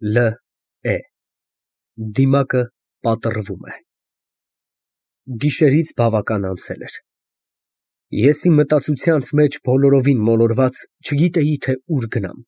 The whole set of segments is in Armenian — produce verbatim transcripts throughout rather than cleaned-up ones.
Լ է դիմակը պատռվում է։ Գիշերից բավական անցել էր։ Ես իմ մտածությանց մեջ բոլորովին մոլորված չգիտեի, թե ուր գնամ։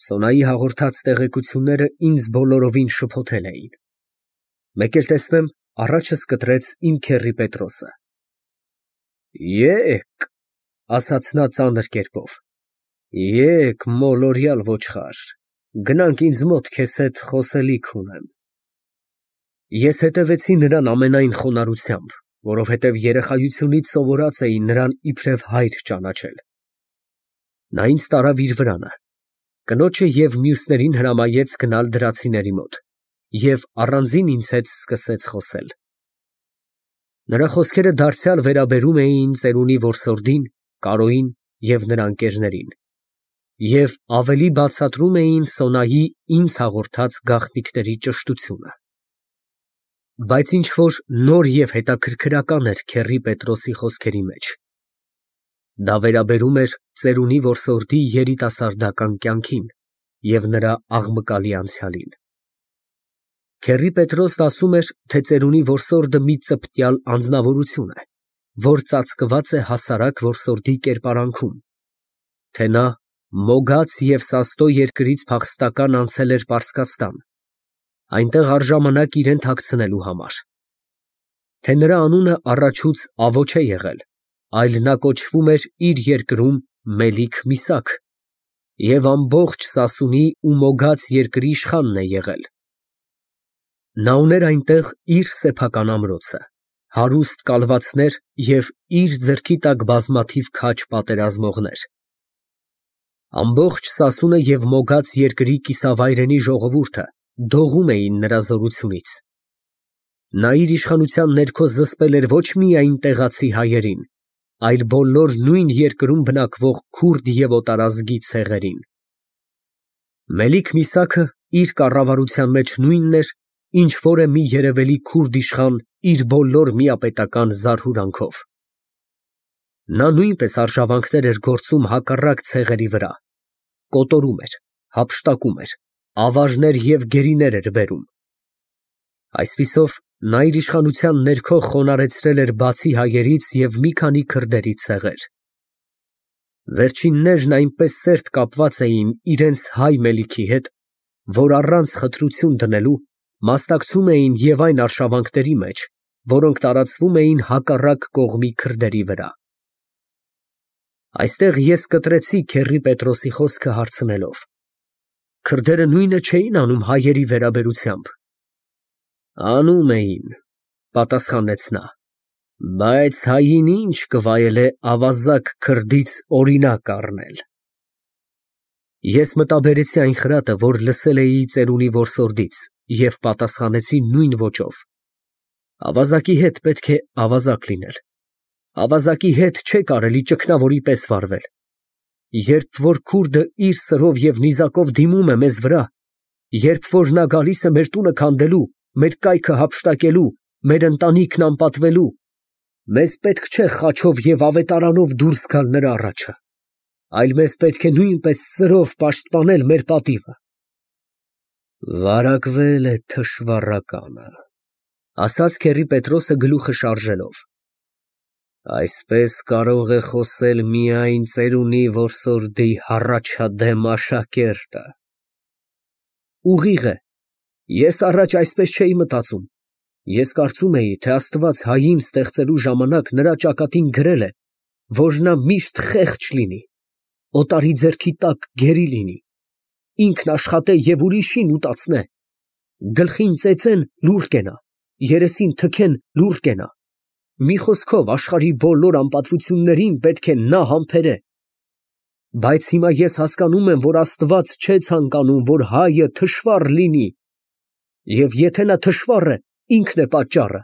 Սոնայի հաղորդած տեղեկությունները ինձ բոլորովին շփոթել էին։ Մեկ էլ տեսնեմ, առաջս կտրեց իմ քեռի Պետրոսը։ Եկ, ասաց նա ծանր կերպով, եկ, մոլորյալ ոչխար, գնանք ինձ մոտ քեզ հետ խոսելիք ունեմ։ Ես հետևեցի նրան ամենայն խոնարհությամբ, որովհետև երեխայությունից սովորած էի նրան իբրև հայր ճանաչել։ Նա ինձ տարավ իր վրանը, կնոջը և մյուսներին հրամայեց գնալ դրացիների մոտ և առանձին ինձ հետ սկսեց խոսել։ Նրա խոսքերը դարձյալ վերաբերում էին ծերունի որսորդին, Կարոյին և նրա ընկերներին և ավելի բացատրում էին Սոնայի ինձ հաղորդած գաղտնիքների ճշտությունը։ Բայց ինչ֊որ նոր և հետաքրքրական էր քեռի Պետրոսի խոսքերի մեջ։ Դա վերաբերում էր ծերունի որսորդի երիտասարդական կյանքին և նրա աղմկալի անցյալին։ Քեռի Պետրոսն ասում էր, թե ծերունի որսորդը մի ծպտյալ անձնավորություն է, որ ծածկված է հասարակ որսորդի կերպարանքում, թե նա մոգած և սաստո երկրից փախստական անցել էր Պարսկաստան, այնտեղ առժամանակ իրան թաքցնելու համար, թե նրա անունը առաջուց Ավո չէ եղել, այլ նա կոչվում էր իր երկրում Մելիք Միսաք և ամբողջ Սասունի ու մոգած երկրի իշխանն է եղել։ Նա ուներ այնտեղ իր սեփական ամրոցը, հարուստ կալվածներ և իր ձեռքի տակ բազմաթիվ քաջ պատերազմողներ։ Ամբողջ Սասունը և մոգած երկրի կիսավայրենի ժողովուրդը դողում էին նրա զորությունից։ Նա իր իշխանության ներքո զսպել էր ոչ միայն տեղացի հայերին, այլ բոլոր նույն երկրում բնակվող քուրդ և օտարազգի ցեղերին։ Մելիք Միսաքը իր կառավարության մեջ նույնն էր, ինչ որ է մի երևելի քուրդ իշխան իր բոլոր միապետական զարհուրանքով։ Նա նույնպես արշավանքներ էր գործում հակառակ ցեղերի վրա, կոտորում էր, հափշտակում էր, ավարներ և գերիներ էր բերում։ Այսպիսով, նա իր իշխանության ներքո խոնարհեցրել էր բացի հայերից և մի քանի քրդերի ցեղեր։ Վերջիններն այնպես սերտ կապված էին իրենց հայ Մելիքի հետ, որ առանց խտրություն դնելու մասնակցում էին և այն արշավանքների մեջ, որոնք տարածվում էին հակառակ կողմի քրդերի վրա։ Այստեղ ես կտրեցի քեռի Պետրոսի խոսքը հարցնելով. քրդերը նույնը չէի՞ն անում հայերի վերաբերությամբ։ Անում էին, պատասխանեց նա, բայց հային ինչ կվայելե ավազակ քրդից օրինակ առնել։ Ես մտաբերեցի այն խրատը, որ լսել էի ծերունի որսորդից և պատասխանեցի նույն ոճով. ավազակի հետ պետք է ավազակ լինել, ավազակի հետ չէ կարելի ճգնավորի պես վարվել։ Երբ որ քուրդը իր սրով և նիզակով դիմում է մեզ վրա, երբ որ նա գալիս է մեր տունը քանդելու, մեր կայքը հափշտակելու, մեր ընտանիքն անպատվելու, մեզ պետք չէ խաչով և ավետարանով դուրս գալ նրա առաջը, այլ մեզ պետք է նույնպես սրով պաշտպանել մեր պատիվը։ Վարակվել է թշվառականը, ասաց քեռի Պետրոսը գլուխը շարժելով։ Այսպես կարող է խոսել միայն ծերունի որսորդի հառաջադեմ աշակերտը։ Ուղիղ է, ես առաջ այսպես չէի մտածում, ես կարծում էի, թե Աստված հային ստեղծելու ժամանակ նրա ճակատին գրել է, որ նա միշտ խեղճ լինի, օտարի ձեռքի տակ գերի լինի, ինքն աշխատե և ուրիշին ուտացնե, գլխին ծեծեն, լուռ կենա, երեսին թքեն, լուռ կենա, մի խոսքով աշխարհի բոլոր անպատվություններին պետք է նա համբերե։ Բայց հիմա ես հասկանում եմ, որ Աստված չէ ցանկանում, որ հայը թշվառ լինի, և եթե նա թշվառ է, ինքն է պատճառը։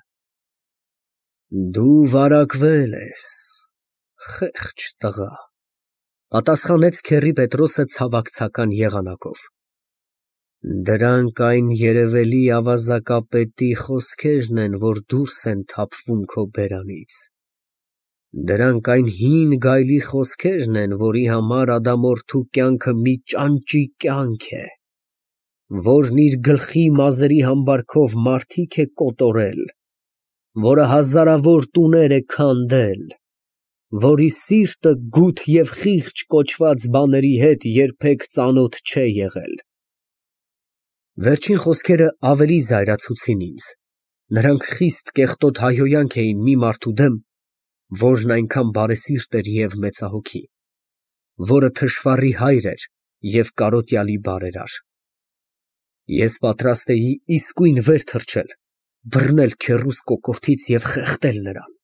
Դու վարակվել ես, խեղճ տղա, պատասխանեց քեռի Պետրոսը ցավակցական եղանակով։ Դրանք այն երևելի ավազակապետի խոսքերն են, որ դուրս են թափվում քո բերանից։ Դրանք այն հին գայլի խոսքերն են, որի համար ադամորդու կյանքը մի ճանճի կյանք է։ որն իր գլխի մազերի համբարքով մարդիկ է կոտորել, որը հազարավոր տուներ է քանդել, որի սիրտը գութ և խիղճ կոչված բաների հետ երբեք ծանոթ չէ եղել։ Վերջին խոսքերը ավելի զայրացուցին ինձ, նրանք խիստ կեղտոտ հայհոյանք էին մի մարդու դեմ, որն այնքան բարեսիրտ էր և մեծահոգի, որը թշվառի հայր էր և կարոտյալի բարերար։ Ես պատրաստ էի իսկույն վեր թռչել, բռնել քեռուս կոկորդից և խեղդել նրան։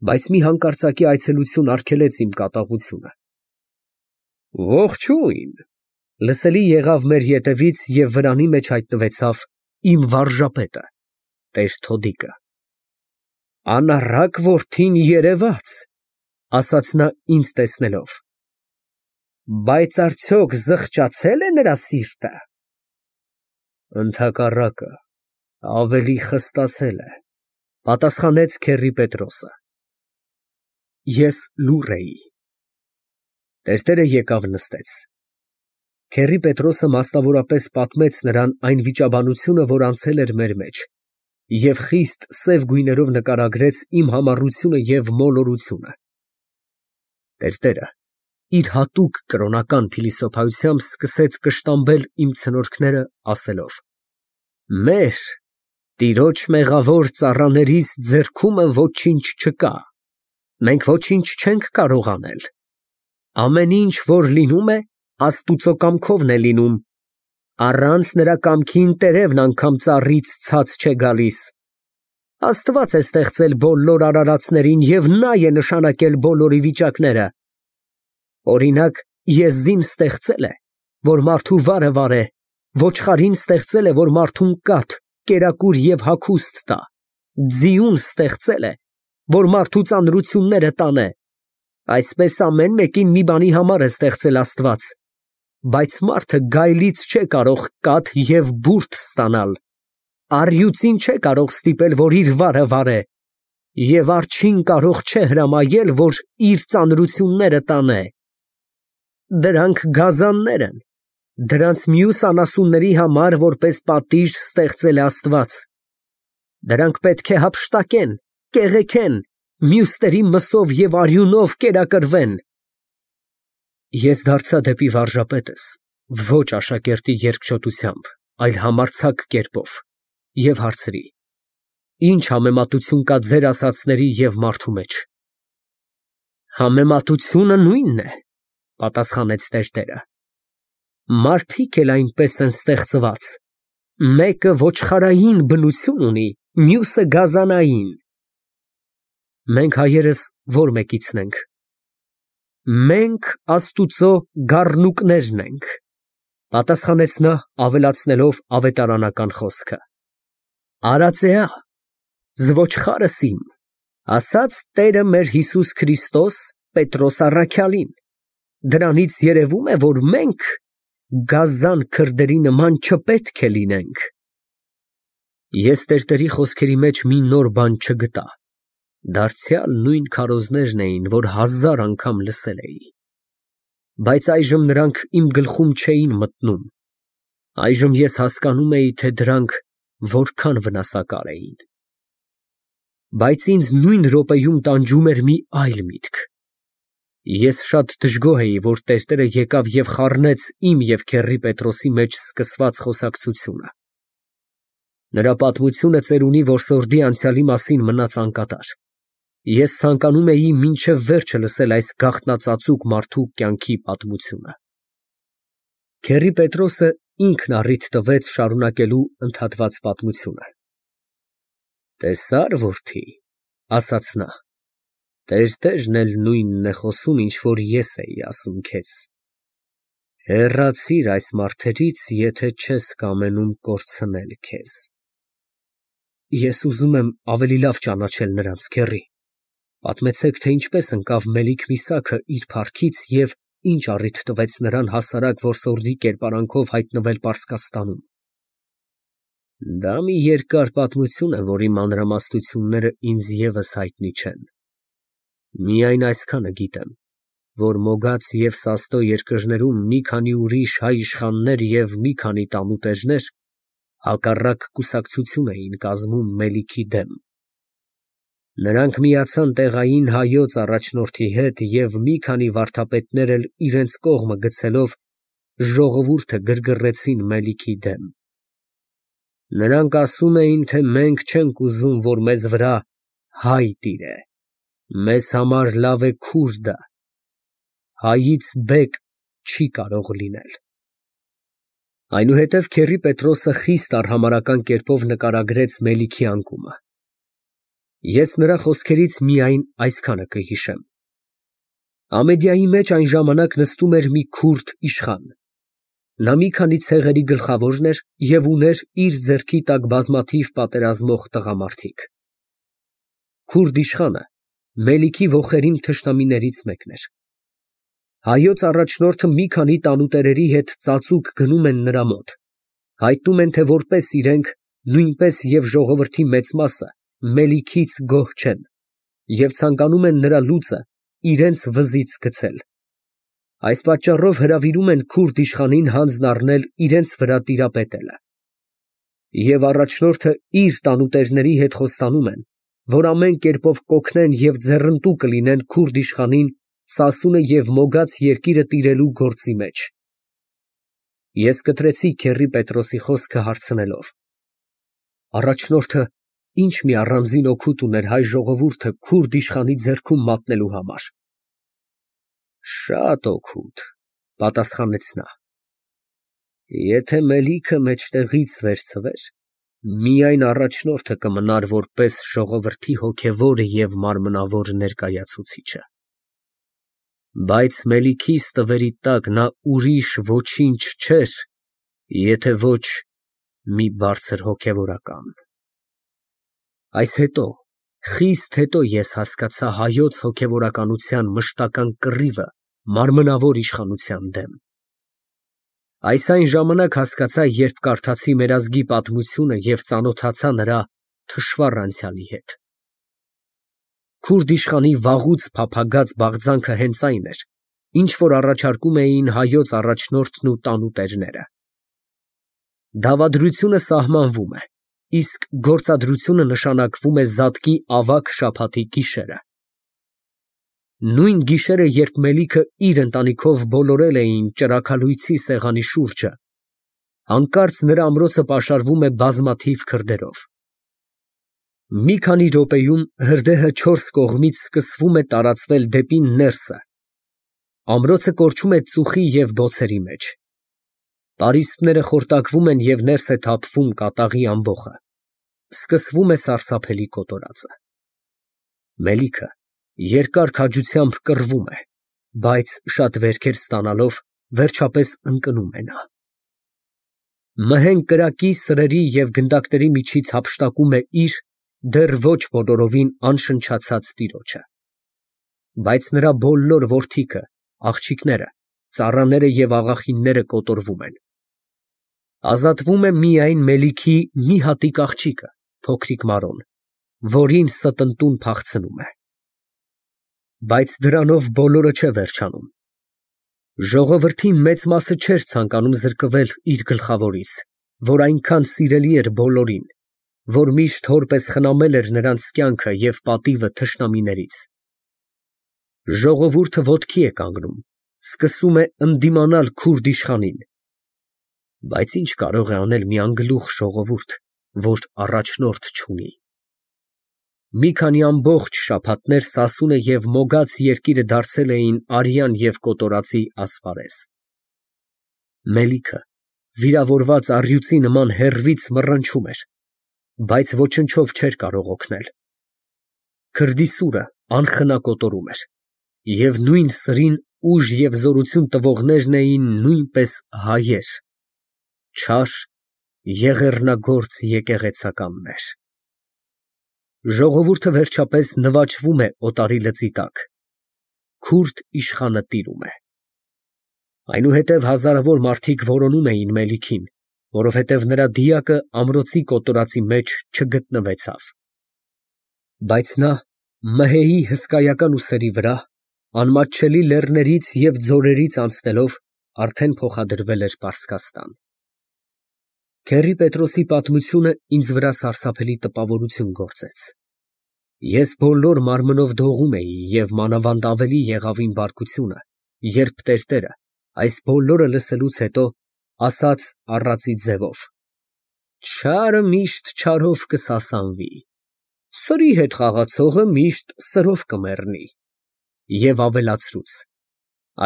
Բայց մի հանկարծակի այցելություն արգելեց իմ կատաղությունը։ Ողջույն, լսելի եղավ մեր ետևից և վրանի մեջ հայտնվեցավ իմ վարժապետը, տեր Թոդիկը։ Անառակ որդին երևաց, ասաց նա ինձ տեսնելով, բայց արդյոք զղջացե՞լ է նրա սիրտը։ Ընդհակառակը, ավելի խստացել է, պատասխանեց քեռի Պետրոսը։ Ես լուռ էի։ Տերտերը եկավ նստեց։ Քեռի Պետրոսը մասնավորապես պատմեց նրան այն վիճաբանությունը, որ անցել էր մեր մեջ, և խիստ սև գույներով նկարագրեց իմ համառությունը և մոլորությունը։ Տերտերը իր հատուկ կրոնական փիլիսոփայությամբ սկսեց կշտամբել իմ ցնորքները, ասելով. Մեր, տիրոջ մեղավոր ծառաներիս ձեռքումն ոչինչ չկա, մենք ոչինչ չենք կարող անել, ամեն ինչ, որ լինում է, Աստուծո կամքովն է լինում, առանց նրա կամքին տերևն անգամ ծառից ցած չէ գալիս։ Աստված է ստեղծել բոլոր արարածներին և նա է նշանակել բոլորի վիճակները։ Օրինակ, եզին ստեղծել է, որ մարդու վարը վարե, ոչխարին ստեղծել է, որ մարդուն կաթ, կերակուր և հագուստ տա, ձիուն ստեղծել է, որ մարդու ծանրությունները տանե։ Այսպես ամեն մեկին մի բանի համար է ստեղծել Աստված, բայց մարդը գայլից չէ կարող կաթ և բուրդ ստանալ, առյուծին չէ կարող ստիպել, որ իր վարը վարե, և արջին կարող չէ հրամայել, որ իր ծանրությունները տանե։ Դրանք գազաններ են, դրանց մյուս անասունների համար որպես պատիժ ստեղծել է Աստված։ Դրանք պետք է հափշտակեն, կեղեքեն, մյուսների մսով և արյունով կերակրվեն։ Ես դարձա դեպի վարժապետս, ոչ աշակերտի երկչոտությամբ, այլ համարձակ կերպով, և հարցրի. Ինչ համեմատություն կա ձեր ասածների և մարդու մեջ։ Համեմատությունը նույնն է, պատասխանեց տերտերը։ Մարդիկ էլ այնպես են ստեղծված, մեկը ոչխարային բնություն ունի, մյուսը գազանային։ Մենք հայերս ո՞ր մեկիցն ենք։ Մենք Աստուծո գառնուկներն ենք, պատասխանեց նա, ավելացնելով ավետարանական խոսքը։ Արածեա, զվոչխարս իմ, ասաց Տերը մեր Հիսուս Քրիստոս Պետրոս առաքյալին, դրանից երևում է, որ մենք գազան քրդերի նման չպետք է լինենք։ Ես տերտերի խոսքերի մեջ մի նոր բան չգտա, դարձյալ նույն քարոզներն էին, որ հազար անգամ լսել էի, բայց այժմ նրանք իմ գլխում չէին մտնում, այժմ ես հասկանում էի, թե դրանք որքան վնասակար էին։ Բայց ինձ նույն րոպեում տանջում էր մի այլ միտք։ Ես շատ դժգոհ էի, որ տերտերը եկավ և խառնեց իմ և քեռի Պետրոսի մեջ սկսված խոսակցությունը։ Նրա պատմությունը ծերունի որսորդի անցյալի մասին մնաց անկատար։ Ես ցանկանում էի մինչև վերջը լսել այս գաղտնածածուկ մարդու կյանքի պատմությունը։ Քեռի Պետրոսը ինքն առիթ տվեց շարունակելու ընդհատված պատմությունը։ Տեսա՞ր, որդի, ասաց նա, տերտերն էլ նույնն է խոսում, ինչ որ ես էի ասում քեզ։ Հեռացիր այս մարդերից, եթե չես կամենում կորցնել քեզ։ Ես ուզում եմ ավելի լավ ճանաչել նրանց, քեռի, պատմեցեք, թե ինչպես ընկավ Մելիք Միսաքը իր փառքից և ինչ առիթ տվեց նրան հասարակ որսորդի կերպարանքով հայտնվել Պարսկաստանում։ Դա մի երկար պատմություն է, որի մանրամասնությունները ինձ ևս հայտնի չեն։ Միայն այսքանը գիտեմ, որ Մոգաց և Սաստո երկրներում մի քանի ուրիշ հայ իշխաններ և մի քանի տանուտերներ հակառակ կուսակցություն էին կազմում Մելիքի դեմ։ Նրանք միացան տեղային հայոց առաջնորդի հետ և մի քանի վարդապետներ էլ իրենց կողմը գցելով ժողովուրդը գրգռեցին Մելիքի դեմ։ Նրանք ասում էին, թե մենք չենք ուզում, որ մեզ վրա հայ տիրե, մեզ համար լավ է քուրդը, հայից բեկ չի կարող լինել։ Այնուհետև քեռի Պետրոսը խիստ արհամարհական կերպով նկարագրեց Մելիքի անկումը։ Ես նրա խոսքերից միայն այսքանը կհիշեմ. Ամեդիայի մեջ այն ժամանակ նստում էր մի քուրդ իշխան։ Նա մի քանի ցեղերի գլխավորն էր և ուներ իր ձեռքի տակ բազմաթիվ պատերազմող տղամարդիկ։ Քուրդ իշխանը Մելիքի ոխերիմ թշնամիներից մեկն էր։ Հայոց առաջնորդը մի քանի տանուտերերի հետ ծածուկ գնում են նրա մոտ, հայտնում են, թե որպես իրենք, նույնպես և ժողովրդի մեծ մասը Մելիքից գոհ չեն և ցանկանում են նրա լուծը իրենց վզից գցել։ Այս պատճառով հրավիրում են քուրդ իշխանին հանձն առնել իրենց վրա տիրապետելը։ Եվ առաջնորդը իր տանուտերների հետ խոստանում են, որ ամեն կերպով կօգնեն և ձեռնտու կլինեն քուրդ իշխանին Սասունը և Մոգաց երկիրը տիրելու գործի մեջ։ Ես կտրեցի քեռի Պետրոսի խոսքը հարցնելով. առաջնորդը ինչ մի առանձին օգուտ ուներ հայ ժողովուրդը քուրդ իշխանի ձեռքում մատնելու համար։ Շատ օգուտ, պատասխանեց նա։ Եթե Մելիքը մեջտեղից վերցվեր, միայն առաջնորդը կմնար որպես ժողովրդի հոգևոր և մարմնավոր ներկայացուցիչը։ Բայց Մելիքիս տվերի տակ նա ուրիշ ոչինչ չէր, եթե ոչ մի բարձր հոգևորական։ Այս հետո, խիստ հետո ես հասկացա հայոց հոգևորականության մշտական կռիվը մարմնավոր իշխանության դեմ։ Այս այն ժամանակ հասկացա, երբ կարդացի մեր ազգի պատմությունը և ծանոթացա նրա թշվառ անցյալի հետ։ Քուրդ իշխանի վաղուց փափագած բաղձանքը հենց այն էր, ինչ որ առաջարկում էին հայոց առաջնորդն ու տանուտերները։ Դավադրությունը սահմանվում է, իսկ գործադրությունը նշանակվում է զատկի ավագ շաբաթի գիշերը։ Նույն գիշերը, երբ Մելիքը իր ընտանիքով բոլորել էին ճրագալույցի սեղանի շուրջը, հանկարծ նրա ամրոցը պաշարվում է բազմաթիվ քրդերով։ Մի քանի րոպեում հրդեհը չորս կողմից սկսվում է տարածվել դեպի ներսը։ Ամրոցը կորչում է ծուխի և բոցերի մեջ։ Պարիսպները խորտակվում են և ներս է թափվում կատաղի ամբոխը։ Սկսվում է սարսափելի կոտորածը։ Մելիքը երկար քաջությամբ կռվում է, բայց շատ վերքեր ստանալով, վերջապես ընկնում է նա։ Մհենգ կրակի, սրերի և գնդակների միջից հափշտակում է իր, դեռ ոչ բոլորովին անշնչացած տիրոջը։ Բայց նրա բոլոր որդիքը, աղջիկները, ծառաները և աղախինները կոտորվում են։ Ազատվում է միայն Մելիքի մի հատիկ աղջիկը, փոքրիկ Մարոն, որին ստընտուն փախցնում է։ Բայց դրանով բոլորը չէ վերջանում։ Ժողովրդի մեծ մասը չէր ցանկանում զրկվել իր գլխավորից, որ այնքան սիրելի էր բոլորին, որ միշտ հոր պես խնամել էր նրանց կյանքը և պատիվը թշնամիներից։ Ժողովուրդը ոտքի է կանգնում, սկսում է ընդդիմանալ քուրդ իշխանին։ Բայց ինչ կարող է անել մի անգլուխ ժողովուրդ, որ առաջնորդ չունի։ Մի քանի ամբողջ շաբաթներ Սասունը և Մոգաց երկիրը դարձել էին արյան և կոտորածի ասպարեզ։ Մելիքը վիրավորված առյուծի նման հեռվից մռնչում էր, բայց ոչնչով չէր կարող օգնել։ Քրդի սուրը անխնա կոտորում էր, և նույն սրին ուժ և զորություն տվողներն էին նույնպես հայեր, չար, եղեռնագործ եկեղեցականներ։ Ժողովուրդը վերջապես նվաճվում է օտարի լծի տակ։ Քուրդ իշխանը տիրում է։ Այնուհետև հազարավոր մարդիկ որոնում էին Մելիքին, որովհետև նրա դիակը ամրոցի կոտորածի մեջ չգտնվեցավ։ Բայց նա, մհեի հսկայական ուսերի վրա, անմատչելի լեռներից և ձորերից անցնելով արդեն փոխադրվել էր Պարսկաստան։ Քեռի Պետրոսի պատմությունը ինձ վրա սարսափելի տպավորություն գործեց։ Ես բոլոր մարմնով դողում էի և մանավանդ ավելի եղավ իմ բարկությունը, երբ տերտերը, այս բոլորը լսելուց հետո, ասաց առածի ձևով. «Չարը միշտ չարով կսասանվի, սրի հետ խաղացողը միշտ սրով կմեռնի» և ավելացրուց.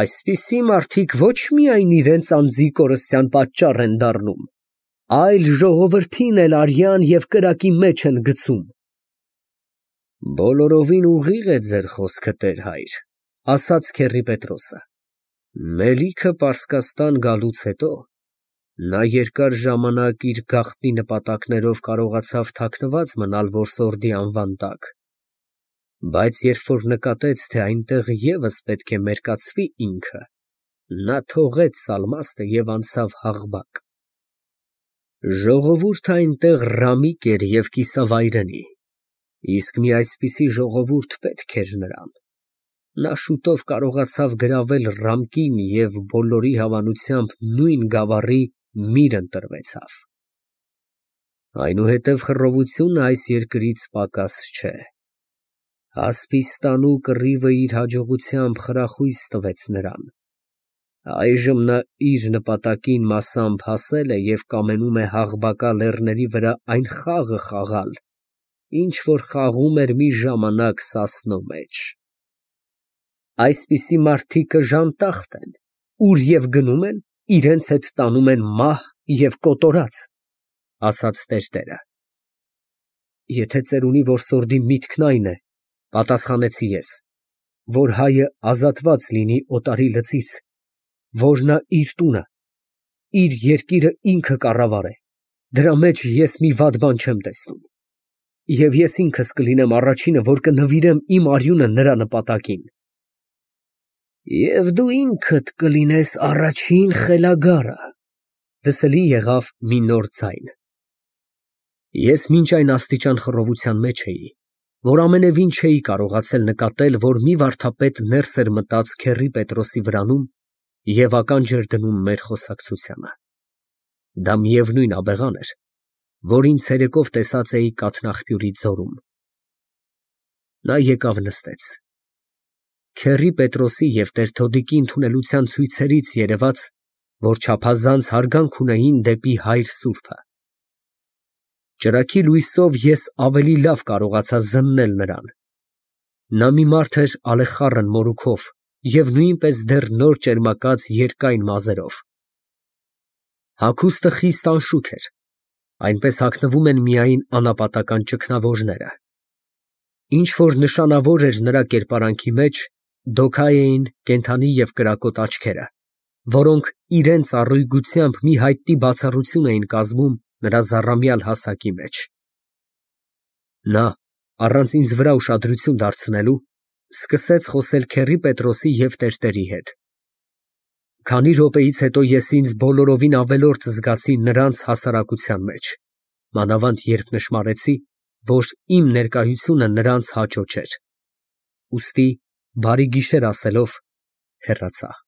«Այսպիսի մարդիկ ոչ միայն իրենց անձի կորստյան պատճառ են դառնում, այլ ժողովրդին էլ արյան և կրակի մեջ են գցում»։ Բոլորովին ուղիղ է ձեր խոսքը, տեր֊հայր, ասաց քեռի Պետրոսը։ Մելիքը Պարսկաստան գալուց հետո նա երկար ժամանակ իր գաղտնի նպատակներով կարողացավ թաքնված մնալ որսորդի անվան տակ, բայց երբ որ նկատեց, թե այնտեղ ևս պետք է մերկացվի ինքը, նա թողեց Սալմաստը և անցավ Հաղբակ։ Ժողովուրդը այնտեղ ռամիկ էր և կիսավայրենի, իսկ մի այսպիսի ժողովուրդ պետք էր նրան։ Նա շուտով կարողացավ գրավել Ռամկին և բոլորի հավանությամբ նույն գավառի միր ընտրվեցավ։ Այնուհետև խռովությունը այս երկրից պակաս չէ։ Հասպիստանու կռիվը իր հաջողությամբ խրախույս տվեց նրան։ Այժմ նա իր նպատակին մասամբ հասել է և կամենում է Հաղբակա լեռների վրա այն խաղը խաղալ, ինչ որ խաղում էր մի ժամանակ Սասնո մեջ։ Այսպիսի մարդիկը ժանտախտ են, ուր և գնում են, իրենց հետ տանում են մահ և կոտորած, ասաց տերտերը։ Եթե ծերունի որսորդի միտքն այն է, պատասխանեցի ես, որ հայը ազատված լինի օտարի լծից, որ նա իր տունը, իր երկիրը ինքը կառավարե, դրա մեջ ես մի վատ բան չեմ տեսնում, և ես ինքս կլինեմ առաջինը, որ կնվիրեմ իմ արյունը նրա նպատակին։ Եվ դու ինքդ կլինես առաջին խելագարը, լսելի եղավ մի նոր ձայն։ Ես մինչ այն աստիճան խռովության մեջ էի, որ ամենևին չէի կարողացել նկատել, որ մի վարդապետ ներս էր մտած քեռի Պետրոսի վրանում և ականջ էր դնում մեր խոսակցությանը։ Դա միևնույն աբեղան էր, որին ցերեկով տեսած էի կաթնաղբյուրի ձորում։ Նա եկավ նստեց։ Քեռի Պետրոսի և տեր֊Թոդիկի ընդունելության ցույցերից երևաց, որ չափազանց հարգանք ունեին դեպի հայր սուրբը։ Ճրագի լույսով ես ավելի լավ կարողացա զննել նրան։ Նա մի մարդ էր ալեխառն մորուքով և նույնպես դեռ նոր ճերմակած երկայն մազերով։ Հագուստը խիստ անշուք էր, այնպես հագնվում են միայն անապատական ճգնավորները։ Ինչ որ նշանավոր էր նրա կերպարանքի մեջ, դոքա էին կենդանի և կրակոտ աչքերը, որոնք իրենց առույգությամբ մի հայտնի բացառություն էին կազմում նրա զառամյալ հասակի մեջ։ Նա, առանց ինձ վրա ուշադրություն դարձնելու, սկսեց խոսել քեռի Պետրոսի և տերտերի հետ։ Քանի րոպեից հետո ես ինձ բոլորովին ավելորդ զգացի նրանց հասարակության մեջ, մանավանդ երբ նշմարեցի, որ իմ ներկայությունը նրանց հաճո չէր, ուստի բարի գիշեր ասելով, հեռացա։